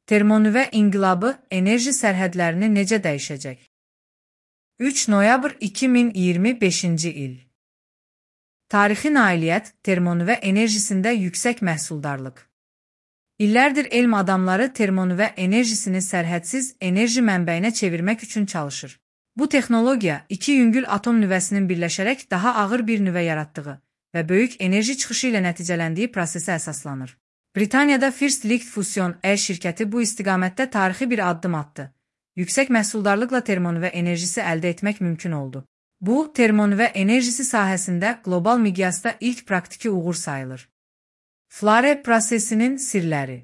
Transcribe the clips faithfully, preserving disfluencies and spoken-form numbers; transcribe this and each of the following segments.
Termonüvə inqilabı enerji sərhədlərini necə dəyişəcək? üç noyabr iki min iyirmi beşinci il. Tarixi nailiyyət termonüvə enerjisində yüksək məhsuldarlıq. İllərdir elm adamları termonüvə enerjisini sərhədsiz enerji mənbəyinə çevirmək üçün çalışır. Bu texnologiya iki yüngül atom nüvəsinin birləşərək daha ağır bir nüvə yaratdığı və böyük enerji çıxışı ilə nəticələndiyi prosesə əsaslanır. Britaniyada First Light Fusion E şirkəti bu istiqamətdə tarixi bir addım atdı. Yüksək məhsuldarlıqla termonüvə enerjisi əldə etmək mümkün oldu. Bu, termonüvə enerjisi sahəsində qlobal miqyasda ilk praktiki uğur sayılır. Flare prosesinin sirləri.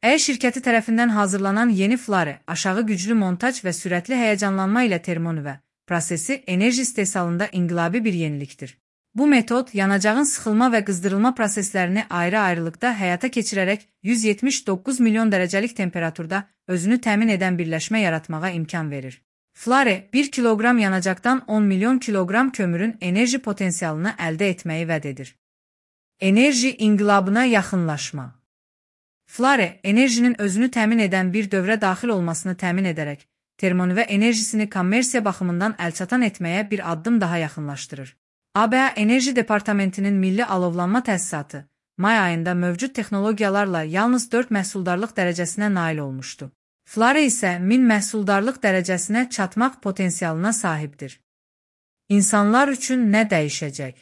E şirkəti tərəfindən hazırlanan yeni Flare, aşağı güclü montaj və sürətli həyəcanlanma ilə termonüvə prosesi enerji istehsalında inqilabi bir yenilikdir. Bu metod, yanacağın sıxılma və qızdırılma proseslərini ayrı-ayrılıqda həyata keçirərək yüz yetmiş doqquz milyon dərəcəlik temperaturda özünü təmin edən birləşmə yaratmağa imkan verir. Flare, bir kiloqram yanacaqdan on milyon kiloqram kömürün enerji potensialını əldə etməyi vəd edir. Enerji inqilabına yaxınlaşma. Flare, enerjinin özünü təmin edən bir dövrə daxil olmasını təmin edərək, termonüvə enerjisini kommersiya baxımından əlçatan etməyə bir addım daha yaxınlaşdırır. A B A Enerji Departamentinin Milli Alovlanma Təsisatı may ayında mövcud texnologiyalarla yalnız dörd məhsuldarlıq dərəcəsinə nail olmuşdu. Flare isə min məhsuldarlıq dərəcəsinə çatmaq potensialına sahibdir. İnsanlar üçün nə dəyişəcək?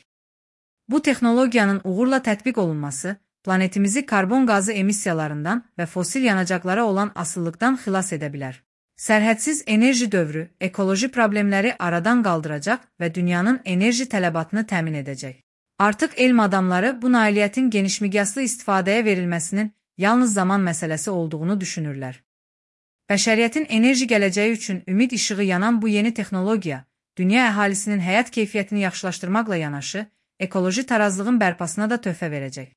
Bu texnologiyanın uğurla tətbiq olunması, planetimizi karbon qazı emissiyalarından və fosil yanacaqlara olan asılılıqdan xilas edə bilər. Sərhədsiz enerji dövrü, ekoloji problemləri aradan qaldıracaq və dünyanın enerji tələbatını təmin edəcək. Artıq elm adamları bu nailiyyətin genişmiqyaslı istifadəyə verilməsinin yalnız zaman məsələsi olduğunu düşünürlər. Bəşəriyyətin enerji gələcəyi üçün ümid işığı yanan bu yeni texnologiya, dünya əhalisinin həyat keyfiyyətini yaxşılaşdırmaqla yanaşı, ekoloji tarazlığın bərpasına da töhfə verəcək.